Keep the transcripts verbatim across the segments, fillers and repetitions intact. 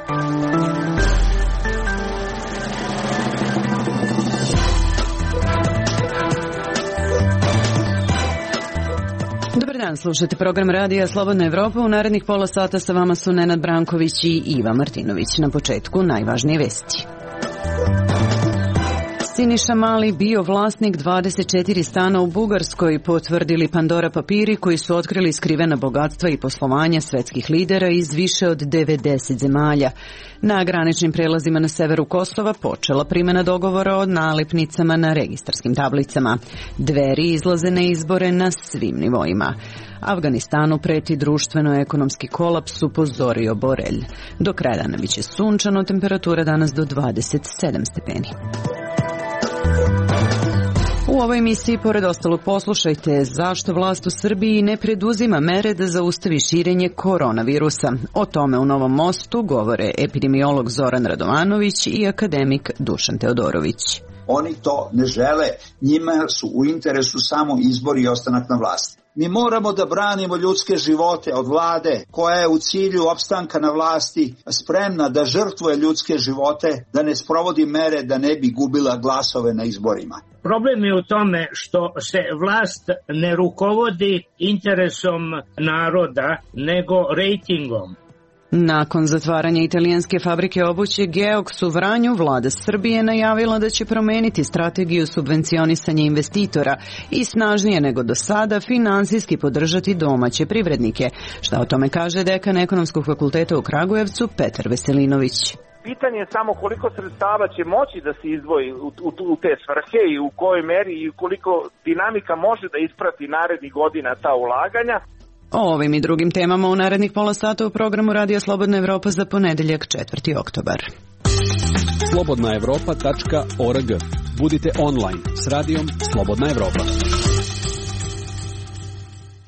Dobar dan, slušate program radija Slobodna Evropa. U narednih pola sata sa vama su Nenad Branković i Iva Martinović. Na početku najvažnije vesti. Siniša Mali bio vlasnik dvadeset četiri stana u Bugarskoj, potvrdili Pandora papiri koji su otkrili skrivena bogatstva i poslovanja svetskih lidera iz više od devedeset zemalja. Na graničnim prelazima na severu Kosova počela primjena dogovora o nalepnicama na registarskim tablicama. Dveri izlaze na izbore na svim nivoima. Afganistanu preti društveno-ekonomski kolaps, upozorio Borelj. Do kraja dana biće sunčano, temperatura danas do dvadeset sedam stepeni. U ovoj emisiji, pored ostalog, poslušajte zašto vlast u Srbiji ne preduzima mere da zaustavi širenje koronavirusa. O tome u Novom Mostu govore epidemiolog Zoran Radovanović i akademik Dušan Teodorović. Oni to ne žele, njima su u interesu samo izbor i ostanak na vlasti. Mi moramo da branimo ljudske živote od vlade koja je u cilju opstanka na vlasti spremna da žrtvuje ljudske živote, da ne sprovodi mere da ne bi gubila glasove na izborima. Problem je u tome što se vlast ne rukovodi interesom naroda, nego rejtingom. Nakon zatvaranja italijanske fabrike obuće Geox u Vranju, vlada Srbije najavila da će promeniti strategiju subvencionisanja investitora i snažnije nego do sada finansijski podržati domaće privrednike. Šta o tome kaže dekan Ekonomskog fakulteta u Kragujevcu Petar Veselinović. Pitanje je samo koliko sredstava će moći da se izdvoji u, u, u te svrhe i u kojoj meri i koliko dinamika može da isprati narednih godina ta ulaganja. O ovim i drugim temama u narednih pola sata u programu Radija Slobodna Evropa za ponedeljak četvrti oktobar. slobodna evropa tačka org. Budite online s radijom Slobodna Evropa.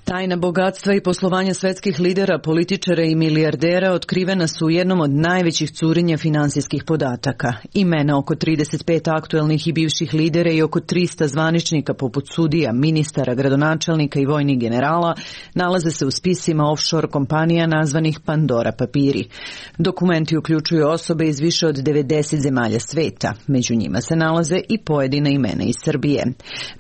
Tajna bogatstva i poslovanja svetskih lidera, političara i milijardera otkrivena su u jednom od najvećih curenja finansijskih podataka. Imena oko trideset pet aktuelnih i bivših lidera i oko trista zvaničnika poput sudija, ministara, gradonačelnika i vojnih generala nalaze se u spisima offshore kompanija nazvanih Pandora papiri. Dokumenti uključuju osobe iz više od devedeset zemalja sveta. Među njima se nalaze i pojedina imena iz Srbije.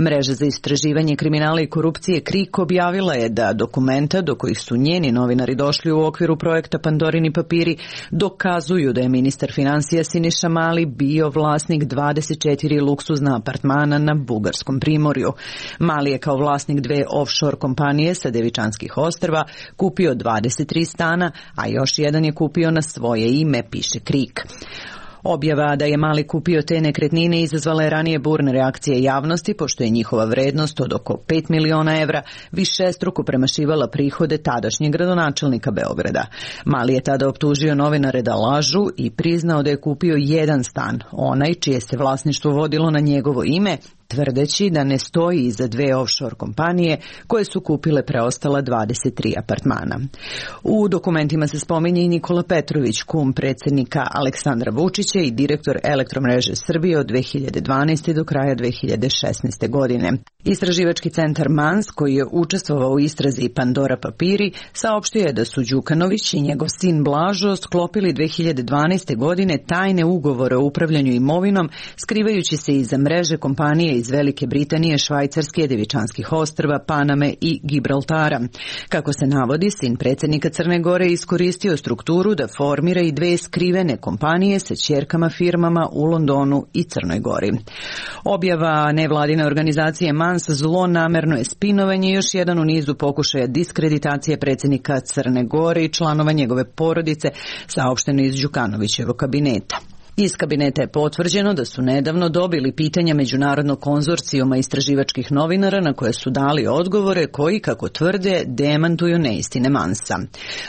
Mreža za istraživanje kriminala i korupcije KRIK objavila je da dokumenta do kojih su njeni novinari došli u okviru projekta Pandorini papiri dokazuju da je ministar finansija Siniša Mali bio vlasnik dvadeset četiri luksuzna apartmana na bugarskom primorju. Mali je kao vlasnik dve offshore kompanije sa Devičanskih ostrva kupio dvadeset tri stana, a još jedan je kupio na svoje ime, piše KRIK. Objava da je Mali kupio te nekretnine izazvala je ranije burne reakcije javnosti, pošto je njihova vrednost od oko pet miliona evra višestruko premašivala prihode tadašnjeg gradonačelnika Beograda. Mali je tada optužio novinare da lažu i priznao da je kupio jedan stan, onaj čije se vlasništvo vodilo na njegovo ime, tvrdeći da ne stoji iza dve offshore kompanije koje su kupile preostala dvadeset tri apartmana. U dokumentima se spominje i Nikola Petrović, kum predsjednika Aleksandra Vučića i direktor Elektromreže Srbije od dve hiljade dvanaeste. do kraja dve hiljade šesnaeste. godine. Istraživački centar Mans, koji je učestvovao u istrazi Pandora papiri, saopštio je da su Đukanović i njegov sin Blažo sklopili dve hiljade dvanaeste. godine tajne ugovore o upravljanju imovinom, skrivajući se iza mreže kompanije iz Velike Britanije, Švajcarske, Devičanskih ostrva, Paname i Gibraltara. Kako se navodi, sin predsjednika Crne Gore iskoristio strukturu da formira i dve skrivene kompanije sa ćerkama firmama u Londonu i Crnoj Gori. Objava nevladine organizacije Mans zlonamerno je spinovanje, još jedan u nizu pokušaja diskreditacije predsjednika Crne Gore i članova njegove porodice, saopšteno iz Đukanovićevog kabineta. Iz kabineta je potvrđeno da su nedavno dobili pitanja Međunarodnog konzorcijuma istraživačkih novinara na koje su dali odgovore koji, kako tvrde, demantuju neistine Mansa.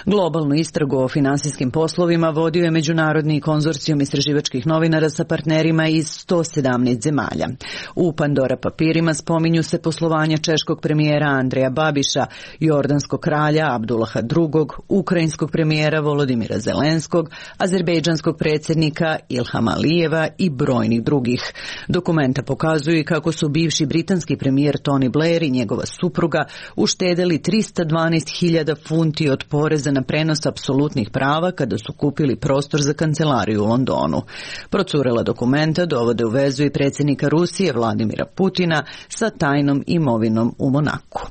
Globalnu istragu o finansijskim poslovima vodio je Međunarodni konzorcijum istraživačkih novinara sa partnerima iz sto sedamnaest zemalja. U Pandora papirima spominju se poslovanja češkog premijera Andreja Babiša, jordanskog kralja Abdullaha drugog, ukrajinskog premijera Volodimira Zelenskog, azerbejdžanskog predsjednika i Ilhama Alijeva i brojnih drugih. Dokumenta pokazuju kako su bivši britanski premijer Tony Blair i njegova supruga uštedeli trista dvanaest hiljada funti od poreza na prenos apsolutnih prava kada su kupili prostor za kancelariju u Londonu. Procurela dokumenta dovode u vezu i predsjednika Rusije Vladimira Putina sa tajnom imovinom u Monaku.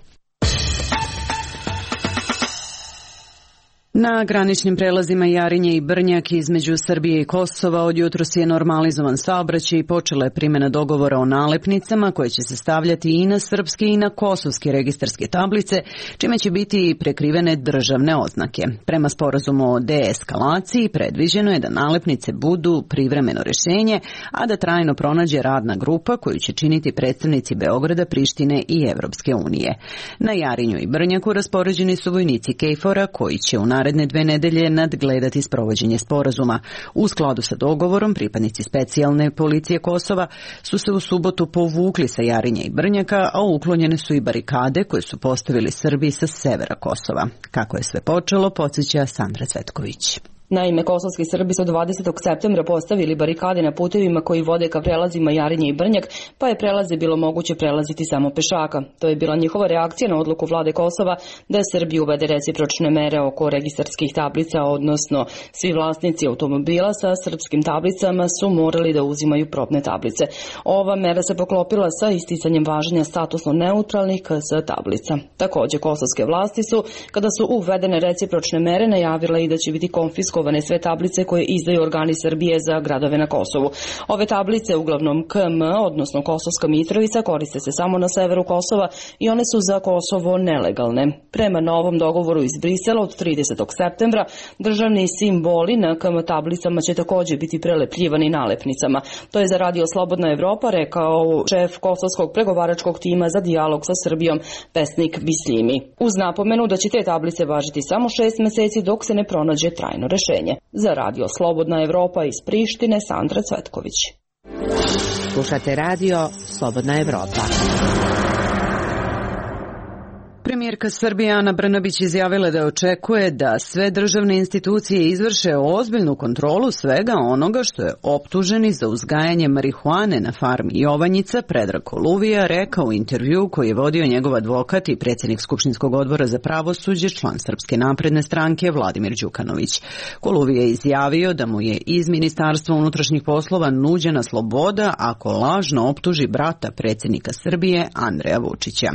Na graničnim prelazima Jarinje i Brnjak između Srbije i Kosova od jutros je normalizovan saobraćaj i počela je primjena dogovora o nalepnicama koje će se stavljati i na srpske i na kosovske registarske tablice, čime će biti prekrivene državne oznake. Prema sporazumu o deeskalaciji predviđeno je da nalepnice budu privremeno rješenje, a da trajno pronađe radna grupa koju će činiti predstavnici Beograda, Prištine i Evropske unije. Na Jarinju i Brnjaku raspoređeni su vojnici KFOR-a koji će u naredne dve nedelje nadgledati sprovođenje sporazuma. U skladu sa dogovorom, pripadnici specijalne policije Kosova su se u subotu povukli sa Jarinja i Brnjaka, a uklonjene su i barikade koje su postavili Srbi sa severa Kosova. Kako je sve počelo, podsjeća Sandra Cvetković. Naime, kosovski Srbi su dvadesetog septembra postavili barikade na putevima koji vode ka prelazima Jarinje i Brnjak, pa je prelaze bilo moguće prelaziti samo pešaka. To je bila njihova reakcija na odluku vlade Kosova da Srbiji uvede recipročne mere oko registarskih tablica, odnosno svi vlasnici automobila sa srpskim tablicama su morali da uzimaju probne tablice. Ova mera se poklopila sa isticanjem važenja statusno neutralnih K S tablica. Također, kosovske vlasti su, kada su uvedene recipročne mere, najavile i da će biti konfiskovane sve tablice koje izdaju organi Srbije za gradove na Kosovu. Ove tablice, uglavnom K M, odnosno Kosovska Mitrovica, koriste se samo na severu Kosova i one su za Kosovo nelegalne. Prema novom dogovoru iz Brisela od tridesetog septembra, državni simboli na K M tablicama će također biti prelepljivani nalepnicama. To je za Radio Slobodna Evropa rekao šef kosovskog pregovaračkog tima za dijalog sa Srbijom Pesnik Bisljimi. Uz napomenu da će te tablice važiti samo šest meseci dok se ne pronađe trajno rešenje. Za Radio Slobodna Evropa iz Prištine, Sandra Cvetković. Slušate Radio Slobodna Evropa. Premijerka Srbije Ana Brnabić izjavila da očekuje da sve državne institucije izvrše ozbiljnu kontrolu svega onoga što je optuženi za uzgajanje marihuane na farmi Jovanjica Predrag Koluvija rekao u intervju koji je vodio njegov advokat i predsjednik Skupštinskog odbora za pravosuđe, član Srpske napredne stranke Vladimir Đukanović. Koluvija je izjavio da mu je iz Ministarstva unutrašnjih poslova nuđena sloboda ako lažno optuži brata predsjednika Srbije Andreja Vučića.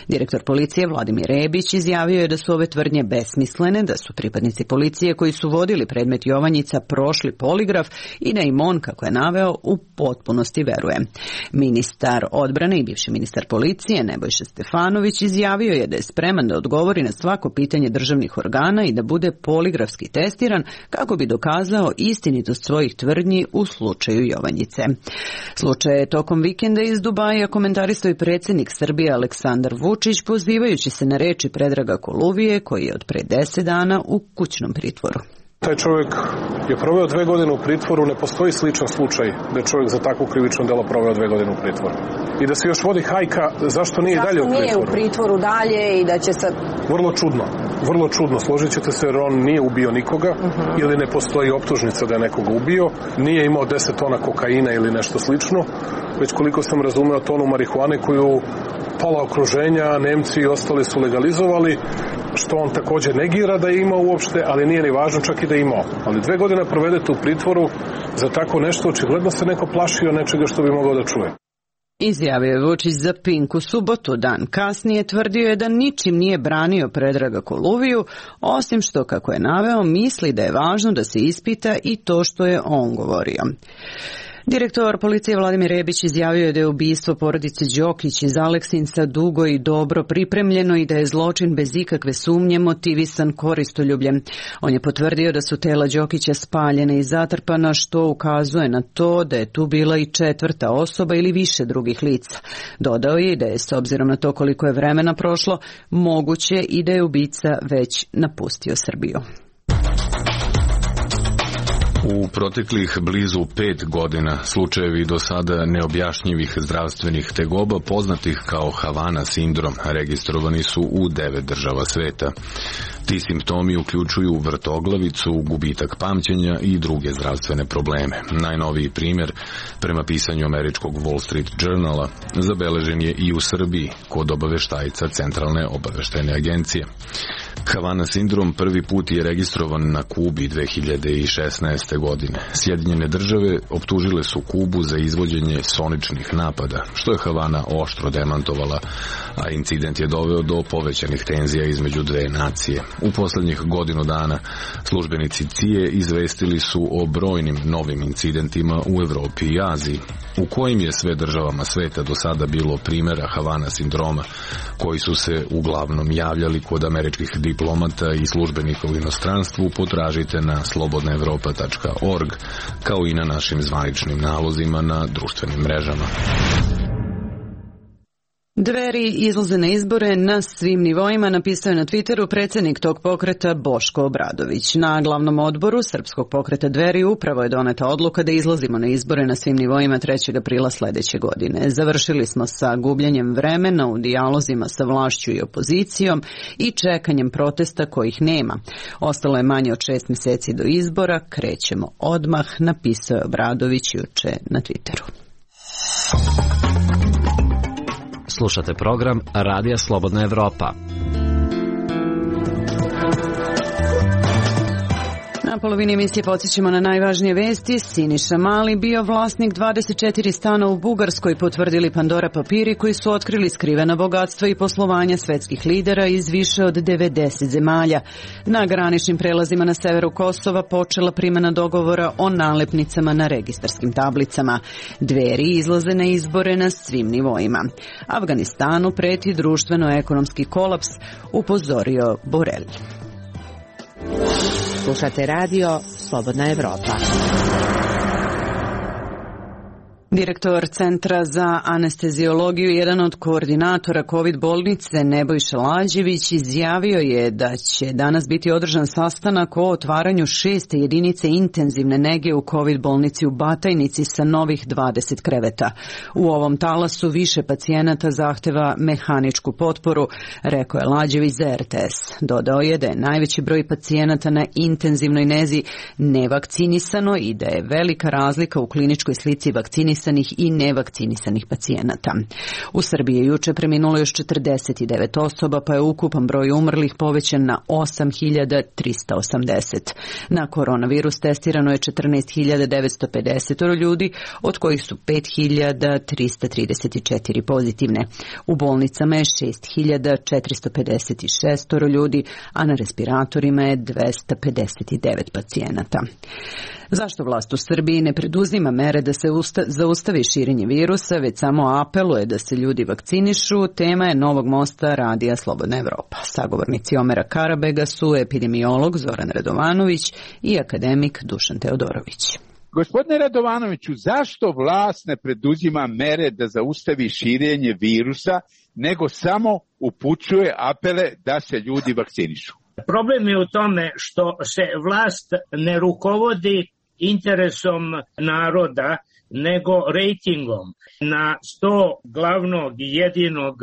Direktor policije Vladimir Rebić izjavio je da su ove tvrdnje besmislene, da su pripadnici policije koji su vodili predmet Jovanjica prošli poligraf i da im on, kako je naveo, u potpunosti veruje. Ministar odbrane i bivši ministar policije Nebojša Stefanović izjavio je da je spreman da odgovori na svako pitanje državnih organa i da bude poligrafski testiran kako bi dokazao istinitost svojih tvrdnji u slučaju Jovanjice. Slučaj je tokom vikenda iz Dubaja komentarisao i predsjednik Srbije Aleksandar Vučić, pozivajući se na reči Predraga Koluvije koji je od pre deset dana u kućnom pritvoru. Taj čovjek je proveo dve godine u pritvoru, ne postoji sličan slučaj da je čovjek za takvo krivično delo proveo dve godine u pritvoru. I da se još vodi hajka, zašto nije zašto dalje u pritvoru? Zašto nije u pritvoru dalje i da će sad... Vrlo čudno, vrlo čudno. Složit ćete se jer on nije ubio nikoga uh-huh. ili ne postoji optužnica da je nekoga ubio, nije imao deset tona kokaina ili nešto slično, već koliko sam razumeo tonu marihuane koju pola okruženja, Nemci i ostali su legalizovali, što on također negira da je imao uopšte, ali nije ni važno čak i da je imao. Ali dve godine provedete u pritvoru za tako nešto, očigledno se neko plašio nečega što bi mogao da čuje. Izjavio je Vučić za Pink u subotu. Dan kasnije tvrdio je da ničim nije branio Predraga Koluviju, osim što, kako je naveo, misli da je važno da se ispita i to što je on govorio. Direktor policije Vladimir Rebić izjavio je da je ubistvo porodice Đokić iz Aleksinca dugo i dobro pripremljeno i da je zločin bez ikakve sumnje motivisan koristoljubljem. On je potvrdio da su tela Đokića spaljene i zatrpana, što ukazuje na to da je tu bila i četvrta osoba ili više drugih lica. Dodao je da je, s obzirom na to koliko je vremena prošlo, moguće i da je ubica već napustio Srbiju. U proteklih blizu pet godina slučajevi do sada neobjašnjivih zdravstvenih tegoba poznatih kao Havana sindrom registrovani su u devet država sveta. Ti simptomi uključuju vrtoglavicu, gubitak pamćenja i druge zdravstvene probleme. Najnoviji primjer, prema pisanju američkog Wall Street Journala, zabeležen je i u Srbiji kod obaveštajca Centralne obaveštajne agencije. Havana sindrom prvi put je registrovan na Kubi dve hiljade šesnaeste. godine. Sjedinjene države optužile su Kubu za izvođenje soničnih napada, što je Havana oštro demantovala, a incident je doveo do povećanih tenzija između dve nacije. U poslednjih godinu dana službenici C I A izvestili su o brojnim novim incidentima u Evropi i Aziji, u kojim je sve državama sveta do sada bilo primjera Havana sindroma, koji su se uglavnom javljali kod američkih diplomata i službenika u inostranstvu. Potražite na slobodna evropa tačka org, kao i na našim zvaničnim nalozima na društvenim mrežama. Dveri izlaze na izbore na svim nivoima, napisao je na Twitteru predsjednik tog pokreta Boško Obradović. Na glavnom odboru Srpskog pokreta Dveri upravo je doneta odluka da izlazimo na izbore na svim nivoima trećeg aprila sljedeće godine. Završili smo sa gubljenjem vremena u dijalozima sa vlašću i opozicijom i čekanjem protesta kojih nema. Ostalo je manje od šest mjeseci do izbora, krećemo odmah, napisao je Obradović juče na Twitteru. Slušate program Radija Slobodna Evropa. Na polovini emisije podsjećamo na najvažnije vesti. Siniša Mali bio vlasnik dvadeset četiri stana u Bugarskoj, potvrdili Pandora papiri koji su otkrili skrivena bogatstva i poslovanja svetskih lidera iz više od devedeset zemalja. Na graničnim prelazima na severu Kosova počela primjena dogovora o nalepnicama na registarskim tablicama. Dveri izlaze na izbore na svim nivoima. Afganistanu preti društveno-ekonomski kolaps, upozorio Borelj. Slušate radio Slobodna Evropa. Direktor Centra za anesteziologiju i jedan od koordinatora COVID bolnice Nebojša Lađević izjavio je da će danas biti održan sastanak o otvaranju šeste jedinice intenzivne nege u COVID bolnici u Batajnici sa novih dvadeset kreveta. U ovom talasu više pacijenata zahteva mehaničku potporu, rekao je Lađević za R T S. Dodao je da je najveći broj pacijenata na intenzivnoj nezi nevakcinisano i da je velika razlika u kliničkoj slici vakcinisanih i nevakcinisanih pacijenata. U Srbiji je juče preminulo još četrdeset devet osoba, pa je ukupan broj umrlih povećan na osam hiljada trista osamdeset. Na koronavirus testirano je četrnaest hiljada devetsto pedeset ljudi, od kojih su pet hiljada trista trideset četiri pozitivne. U bolnicama je šest hiljada četiristo pedeset šest ljudi, a na respiratorima je dvesta pedeset devet pacijenata. Zašto vlast u Srbiji ne preduzima mere da se usta- zaustavi širenje virusa, već samo apeluje da se ljudi vakcinišu, tema je Novog mosta Radija Slobodna Evropa. Sagovornici Omera Karabega su epidemiolog Zoran Radovanović i akademik Dušan Teodorović. Gospodine Radovanoviću, zašto vlast ne preduzima mere da zaustavi širenje virusa, nego samo upućuje apele da se ljudi vakcinišu? Problem je u tome što se vlast ne rukovodi interesom naroda, nego rejtingom. Na sto glavnog i jedinog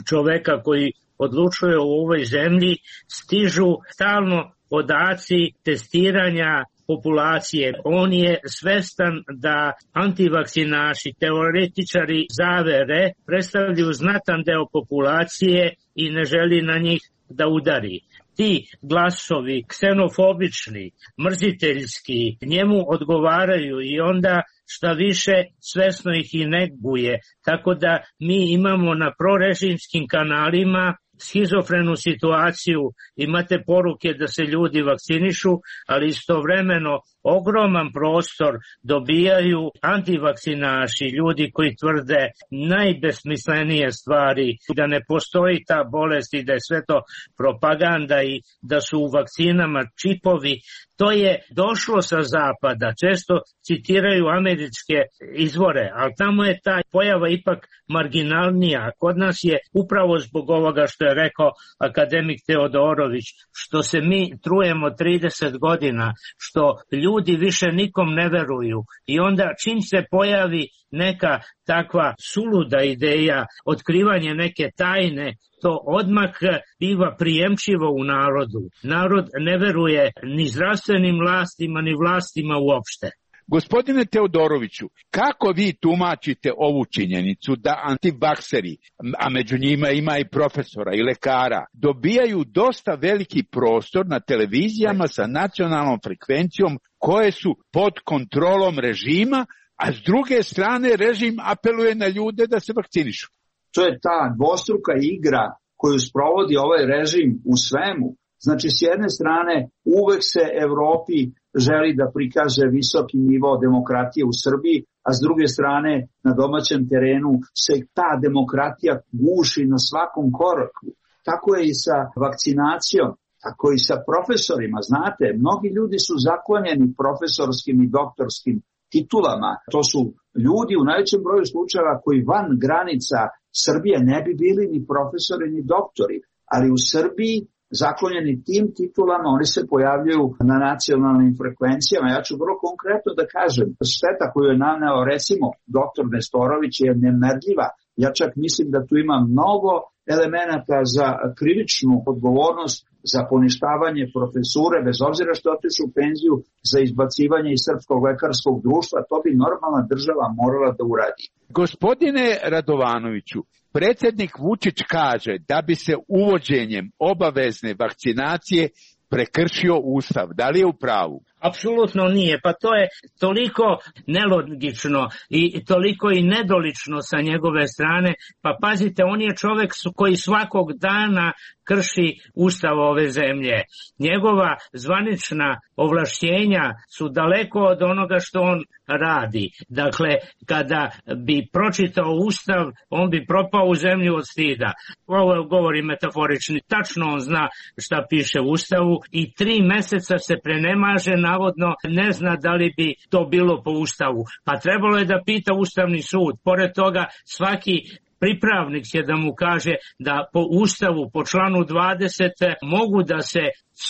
čoveka koji odlučuje u ovoj zemlji stižu stalno podaci testiranja populacije. On je svestan da antivakcinaši, teoretičari zavere predstavljaju znatan deo populacije i ne želi na njih da udari. Ti glasovi, ksenofobični, mrziteljski, njemu odgovaraju i onda šta više svesno ih i neguje. Tako da mi imamo na prorežimskim kanalima schizofrenu situaciju, imate poruke da se ljudi vakcinišu, ali istovremeno ogroman prostor dobijaju antivakcinaši, ljudi koji tvrde najbesmislenije stvari, da ne postoji ta bolest i da je sve to propaganda i da su u vakcinama čipovi. To je došlo sa zapada, često citiraju američke izvore, ali tamo je ta pojava ipak marginalnija. Kod nas je upravo zbog ovoga što je rekao akademik Teodorović, što se mi trujemo trideset godina, što ljudi više nikom ne veruju i onda čim se pojavi neka takva suluda ideja, otkrivanje neke tajne, to odmah biva prijemčivo u narodu. Narod ne veruje ni zdravstvenim vlastima, ni vlastima uopšte. Gospodine Teodoroviću, kako vi tumačite ovu činjenicu da antivakseri, a među njima ima i profesora i lekara, dobijaju dosta veliki prostor na televizijama sa nacionalnom frekvencijom koje su pod kontrolom režima, a s druge strane režim apeluje na ljude da se vakcinišu? To je ta dvostruka igra koju sprovodi ovaj režim u svemu. Znači, s jedne strane, uvek se Evropi želi da prikaže visoki nivo demokratije u Srbiji, a s druge strane, na domaćem terenu se ta demokratija guši na svakom koraku. Tako je i sa vakcinacijom, tako i sa profesorima. Znate, mnogi ljudi su zaklonjeni profesorskim i doktorskim titulama. To su ljudi u najvećem broju slučajeva koji van granica Srbije ne bi bili ni profesori ni doktori, ali u Srbiji zaklonjeni tim titulama oni se pojavljaju na nacionalnim frekvencijama. Ja ću vrlo konkretno da kažem, šteta koju je naneo recimo doktor Nestorović je nemerljiva. Ja čak mislim da tu ima mnogo elemenata za krivičnu odgovornost, za poništavanje profesure, bez obzira što otišu u penziju, za izbacivanje iz Srpskog lekarskog društva. To bi normalna država morala da uradi. Gospodine Radovanoviću, predsjednik Vučić kaže da bi se uvođenjem obavezne vakcinacije prekršio Ustav. Da li je u pravu? Apsolutno nije, pa to je toliko nelogično i toliko i nedolično sa njegove strane, pa pazite, on je čovek koji svakog dana krši Ustav ove zemlje. Njegova zvanična ovlašćenja su daleko od onoga što on radi. Dakle, kada bi pročitao Ustav, on bi propao u zemlju od stida. Ovo govori metaforični, tačno on zna šta piše u Ustavu i tri meseca se prenemaže na navodno ne zna da li bi to bilo po Ustavu. Pa trebalo je da pita Ustavni sud. Pored toga, svaki pripravnik će da mu kaže da po Ustavu, po članu dvadeset, mogu da se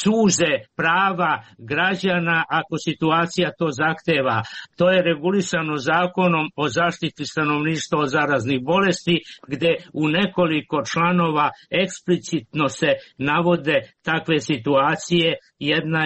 suze prava građana ako situacija to zahteva. To je regulisano zakonom o zaštiti stanovništva od zaraznih bolesti, gde u nekoliko članova eksplicitno se navode takve situacije. Jedna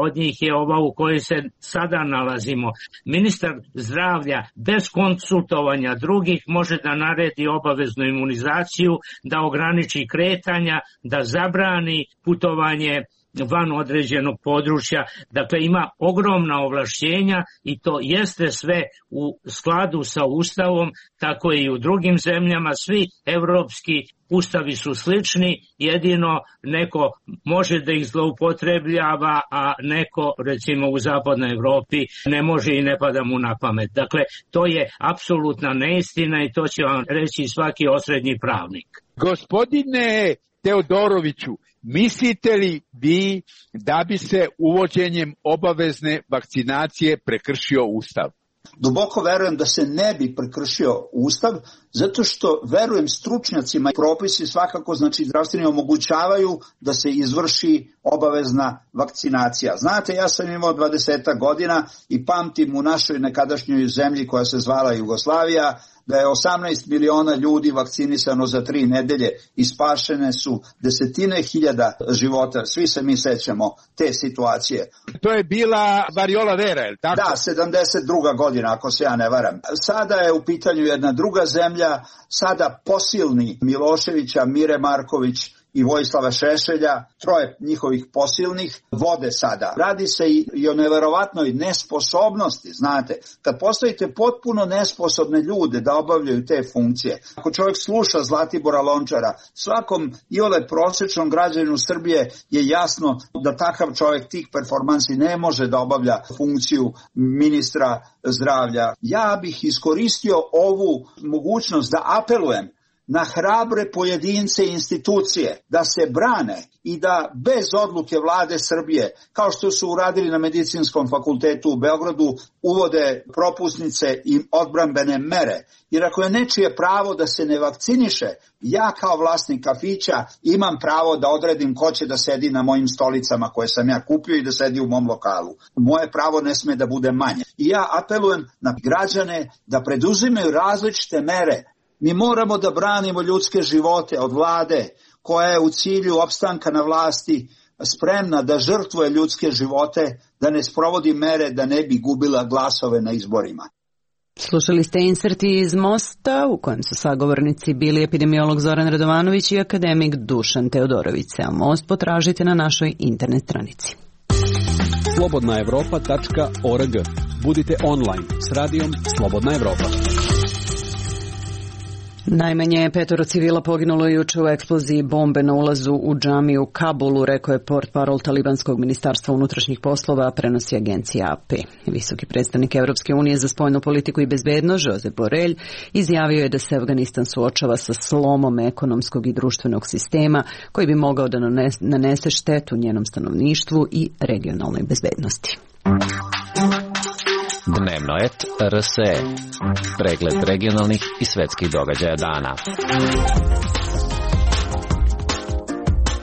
od njih je ova u kojoj se sada nalazimo. Ministar zdravlja bez konsultovanja drugih može da naredi obaveznu imunizaciju, da ograniči kretanja, da zabrani putovanje van određenog područja. Dakle, ima ogromna ovlašćenja i to jeste sve u skladu sa Ustavom, tako i u drugim zemljama. Svi evropski ustavi su slični, jedino neko može da ih zloupotrebljava, a neko, recimo u zapadnoj Evropi, ne može i ne pada mu na pamet. Dakle, to je apsolutna neistina i to će vam reći svaki osrednji pravnik. Gospodine Teodoroviću, mislite li vi da bi se uvođenjem obavezne vakcinacije prekršio Ustav? Duboko verujem da se ne bi prekršio Ustav, zato što verujem stručnjacima i propisi svakako, znači zdravstveni, omogućavaju da se izvrši obavezna vakcinacija. Znate, ja sam imao dvadeset godina i pamtim u našoj nekadašnjoj zemlji koja se zvala Jugoslavija, da je osamnaest miliona ljudi vakcinisano za tri nedelje i spašene su desetine hiljada života. Svi se mi sećamo te situacije. To je bila variola vera, je li tako? Da, sedamdeset druga godina, ako se ja ne varam. Sada je u pitanju jedna druga zemlja, sada posilni Miloševića, Mire Marković i Vojislava Šešelja, troje njihovih posilnih, vode sada. Radi se i o neverovatnoj nesposobnosti, znate. Kad postavite potpuno nesposobne ljude da obavljaju te funkcije, ako čovjek sluša Zlatibora Lončara, svakom iole prosječnom građaninu Srbije je jasno da takav čovjek tih performansi ne može da obavlja funkciju ministra zdravlja. Ja bih iskoristio ovu mogućnost da apelujem na hrabre pojedince i institucije da se brane i da bez odluke vlade Srbije, kao što su uradili na Medicinskom fakultetu u Beogradu, uvode propusnice i odbrambene mere. Jer ako je nečije pravo da se ne vakciniše, ja kao vlasnik kafića imam pravo da odredim ko će da sedi na mojim stolicama koje sam ja kupio i da sedi u mom lokalu. Moje pravo ne sme da bude manje. I ja apelujem na građane da preduzimaju različite mere. Mi moramo da branimo ljudske živote od vlade koja je u cilju opstanka na vlasti spremna da žrtvuje ljudske živote, da ne sprovodi mere da ne bi gubila glasove na izborima. Slušali ste inserti iz Mosta u kojem su sagovornici bili epidemiolog Zoran Radovanović i akademik Dušan Teodorović. A Most potražite na našoj internet stranici. slobodna evropa tačka org. Budite online s radijom Slobodna Evropa. Najmanje petoro civila poginulo juče u eksploziji bombe na ulazu u džamiju u Kabulu, rekao je portparol talibanskog ministarstva unutrašnjih poslova, prenosi agencija A P. Visoki predstavnik Evropske unije za spoljnu politiku i bezbednost, Josep Borrell, izjavio je da se Afganistan suočava sa slomom ekonomskog i društvenog sistema koji bi mogao da nanese štetu njenom stanovništvu i regionalnoj bezbednosti. Dnevnoet R S E. Pregled regionalnih i svetskih događaja dana.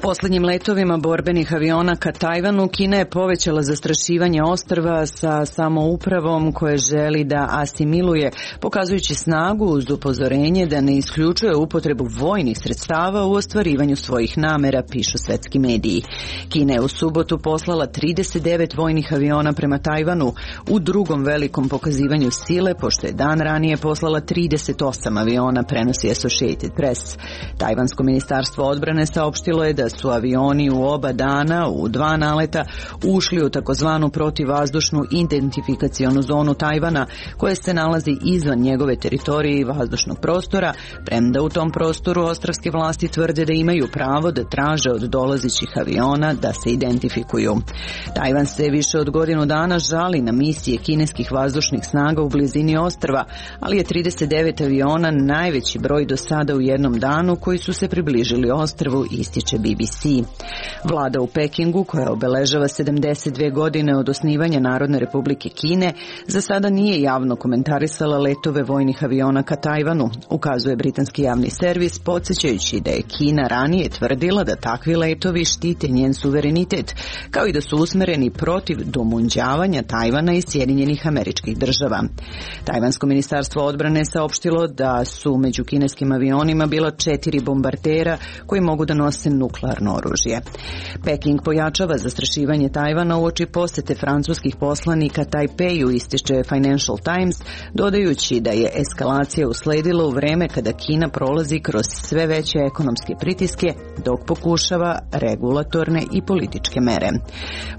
Poslednjim letovima borbenih aviona ka Tajvanu Kina je povećala zastrašivanje ostrva sa samoupravom koje želi da asimiluje, pokazujući snagu uz upozorenje da ne isključuje upotrebu vojnih sredstava u ostvarivanju svojih namera, pišu svetski mediji. Kina je u subotu poslala trideset devet vojnih aviona prema Tajvanu u drugom velikom pokazivanju sile, pošto je dan ranije poslala trideset osam aviona, prenosi Associated Press. Tajvansko ministarstvo odbrane saopštilo je da su avioni u oba dana u dva naleta ušli u takozvanu protivvazdušnu identifikacionu zonu Tajvana, koja se nalazi izvan njegove teritorije i vazdušnog prostora, premda u tom prostoru ostrvske vlasti tvrde da imaju pravo da traže od dolazećih aviona da se identifikuju. Tajvan se više od godinu dana žali na misije kineskih vazdušnih snaga u blizini ostrva, ali je trideset devet aviona najveći broj do sada u jednom danu koji su se približili ostrvu, ističe B B C. Vlada u Pekingu, koja obeležava sedamdeset dve godine od osnivanja Narodne republike Kine, za sada nije javno komentarisala letove vojnih aviona ka Tajvanu, ukazuje britanski javni servis, podsjećajući da je Kina ranije tvrdila da takvi letovi štite njen suverenitet, kao i da su usmereni protiv domunđavanja Tajvana i Sjedinjenih Američkih Država. Tajvansko ministarstvo odbrane saopštilo da su među kineskim avionima bila četiri bombardera koji mogu da nose nuklearno oružje. Peking pojačava zastrašivanje Tajvana uoči posete francuskih poslanika Tajpeju, ističe Financial Times, dodajući da je eskalacija usledila u vreme kada Kina prolazi kroz sve veće ekonomske pritiske, dok pokušava regulatorne i političke mere.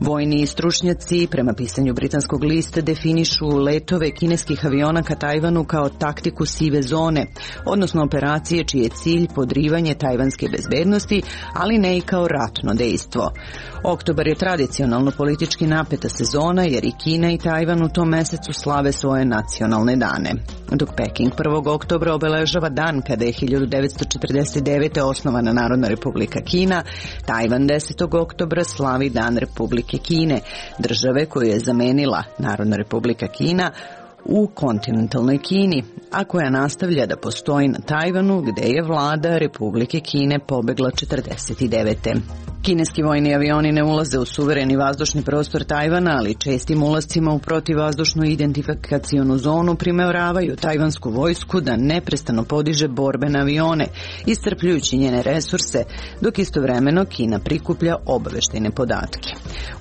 Vojni stručnjaci, prema pisanju britanskog lista, definišu letove kineskih aviona ka Tajvanu kao taktiku sive zone, odnosno operacije čiji je cilj podrivanje tajvanske bezbednosti, ali ne i kao ratno dejstvo. Oktobar je tradicionalno politički napeta sezona, jer i Kina i Tajvan u tom mesecu slave svoje nacionalne dane. Dok Peking prvog oktobra obeležava dan kada je hiljadu devetsto četrdeset devete. osnovana Narodna republika Kina, Tajvan desetog oktobra slavi Dan Republike Kine, države koju je zamenila Narodna republika Kina u kontinentalnoj Kini, a koja nastavlja da postoji na Tajvanu, gde je vlada Republike Kine pobegla četrdeset devete. Kineski vojni avioni ne ulaze u suvereni vazdušni prostor Tajvana, ali čestim ulascima u protivvazdušnu identifikacionu zonu primeravaju tajvansku vojsku da neprestano podiže borbene avione, iscrpljujući njene resurse, dok istovremeno Kina prikuplja obaveštajne podatke.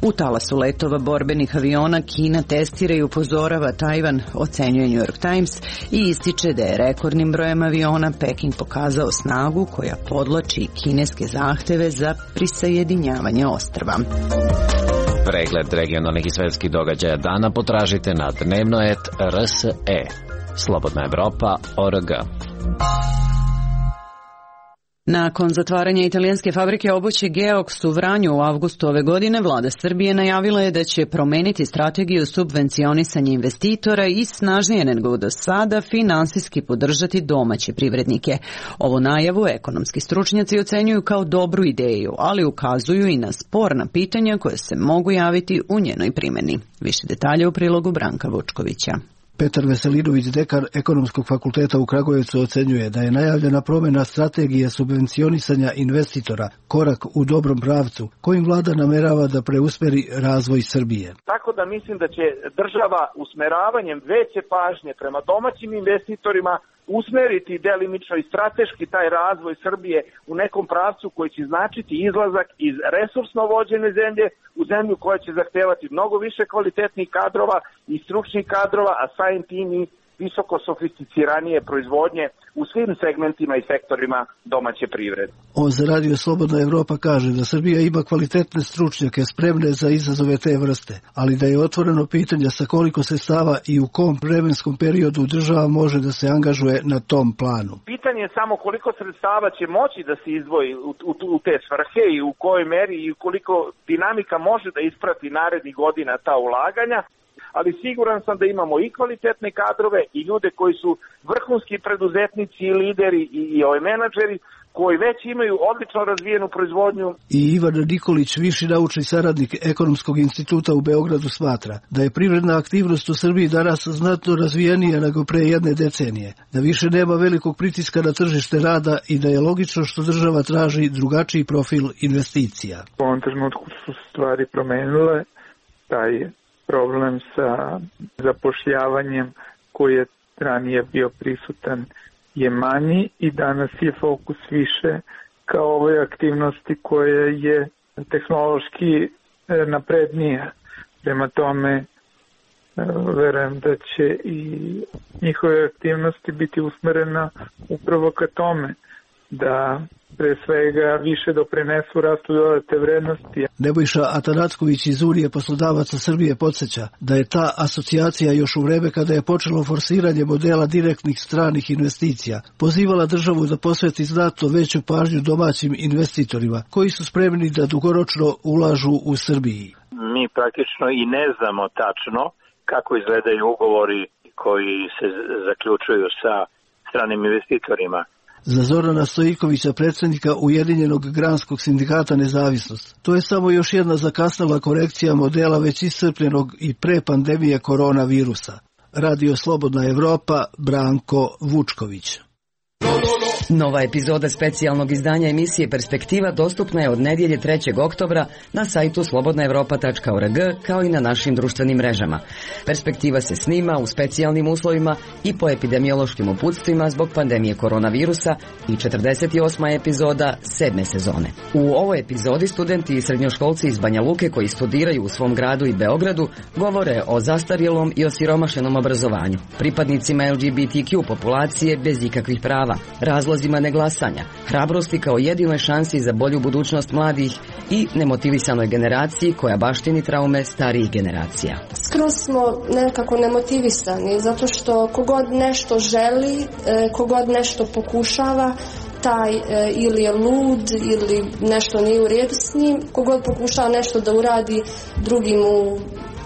U talasu letova borbenih aviona Kina testira i upozorava Tajvan, ocenjuje New York Times, i ističe da je rekordnim brojem aviona Peking pokazao snagu koja podlači kineske zahteve za prisajedinjavanje ostrva. Pregled regionalnih i svetskih događaja dana potražite na dnevnoet R S E. Slobodna Evropa, org. Nakon zatvaranja italijanske fabrike obuće Geox u Vranju u avgustu ove godine, vlada Srbije najavila je da će promeniti strategiju subvencionisanja investitora i snažnije nego do sada finansijski podržati domaće privrednike. Ovu najavu ekonomski stručnjaci ocenjuju kao dobru ideju, ali ukazuju i na sporna pitanja koje se mogu javiti u njenoj primjeni. Više detalja u prilogu Branka Vučkovića. Petar Veselinović, dekan Ekonomskog fakulteta u Kragujevcu, ocenjuje da je najavljena promjena strategije subvencionisanja investitora korak u dobrom pravcu, kojim vlada namerava da preusmeri razvoj Srbije. Tako da mislim da će država usmeravanjem veće pažnje prema domaćim investitorima usmeriti delimično i strateški taj razvoj Srbije u nekom pravcu koji će značiti izlazak iz resursno vođene zemlje u zemlju koja će zahtevati mnogo više kvalitetnih kadrova i stručnih kadrova, a samim tim i visoko sofisticiranije proizvodnje u svim segmentima i sektorima domaće privrede. On za Radio Slobodna Evropa kaže da Srbija ima kvalitetne stručnjake spremne za izazove te vrste, ali da je otvoreno pitanje sa koliko sredstava i u kom vremenskom periodu država može da se angažuje na tom planu. Pitanje je samo koliko sredstava će moći da se izdvoji u, u, u te svrhe i u kojoj meri i koliko dinamika može da isprati narednih godina ta ulaganja. Ali siguran sam da imamo i kvalitetne kadrove i ljude koji su vrhunski preduzetnici i lideri i, i ove menadžeri koji već imaju odlično razvijenu proizvodnju. I Ivan Nikolić, viši naučni saradnik Ekonomskog instituta u Beogradu, smatra da je privredna aktivnost u Srbiji danas znatno razvijenija nego pre jedne decenije, da više nema velikog pritiska na tržište rada i da je logično što država traži drugačiji profil investicija. U ovom trenutku su stvari promenile, taj problem sa zapošljavanjem koji je ranije bio prisutan je manji i danas je fokus više kao ovoj aktivnosti koja je tehnološki naprednija. Prema tome, verujem da će i njihove aktivnosti biti usmerena upravo ka tome da pre svega više doprinesu rastu dodate vrednosti. Nebojša Atanacković iz Unije poslodavaca Srbije podsjeća da je ta asocijacija još u vreme kada je počelo forsiranje modela direktnih stranih investicija pozivala državu da posveti znatno veću pažnju domaćim investitorima koji su spremni da dugoročno ulažu u Srbiji. Mi praktično i ne znamo tačno kako izgledaju ugovori koji se zaključuju sa stranim investitorima. Za Zorana Stojikovića, predsjednika Ujedinjenog granskog sindikata Nezavisnost, to je samo još jedna zakasnala korekcija modela već iscrpljenog i pre pandemije koronavirusa. Radio Slobodna Evropa, Branko Vučković. Nova epizoda specijalnog izdanja emisije Perspektiva dostupna je od nedjelje trećeg oktobra na sajtu slobodna evropa tačka org kao i na našim društvenim mrežama. Perspektiva se snima u specijalnim uslovima i po epidemiološkim uputstvima zbog pandemije koronavirusa i četrdeset osma epizoda sedme sezone. U ovoj epizodi studenti i srednjoškolci iz Banja Luke koji studiraju u svom gradu i Beogradu govore o zastarjelom i osiromašenom obrazovanju, pripadnicima L G B T Q populacije bez ikakvih prava, razlozima neglasanja, hrabrosti kao jedinoj šansi za bolju budućnost mladih i nemotivisanoj generaciji koja baštini traume starijih generacija. Skroz smo nekako nemotivisani zato što kogod nešto želi, kogod nešto pokušava, taj ili je lud ili nešto nije u redu s njim, kogod pokušava nešto da uradi, drugi mu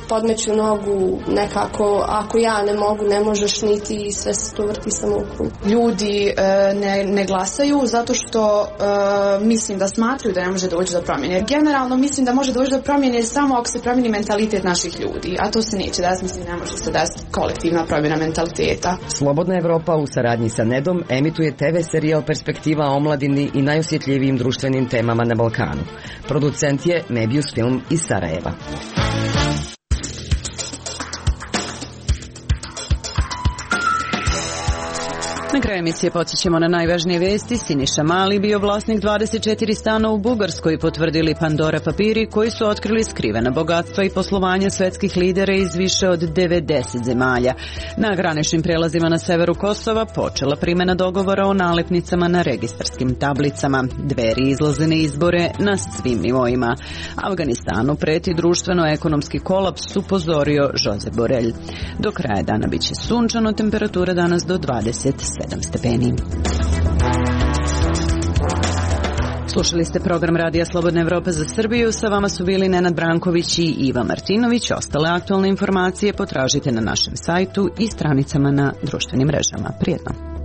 podmeću nogu nekako, ako ja ne mogu, ne možeš niti i sve se to vrti samo u krug. Ljudi e, ne, ne glasaju zato što e, mislim da smatraju da ne može doći do promjene. Generalno mislim da može doći do promjene samo ako se promijeni mentalitet naših ljudi, a to se neće desiti, mislim ne može se desiti kolektivna promjena mentaliteta. Slobodna Evropa u saradnji sa Nedom emituje te ve serijal Perspektiva o omladini i najosjetljivijim društvenim temama na Balkanu. Producent je Mebius Film iz Sarajeva. Na kraju emisije podsjećamo na najvažnije vesti. Siniša Mali bio vlasnik dvadeset četiri stana u Bugarskoj, potvrdili Pandora papiri koji su otkrili skrivena bogatstva i poslovanja svetskih lidera iz više od devedeset zemalja. Na graničnim prelazima na severu Kosova počela primjena dogovora o nalepnicama na registarskim tablicama. Dveri izlaze na izbore na svim nivoima. Afganistanu preti društveno-ekonomski kolaps, upozorio Josep Borrell. Do kraja dana biće sunčano, temperatura danas do dvadeset sedam stepeni. Slušali ste program Radija Slobodna Evropa za Srbiju. Sa vama su bili Nenad Branković i Iva Martinović. Ostale aktualne informacije potražite na našem sajtu i stranicama na društvenim mrežama. Prijetno.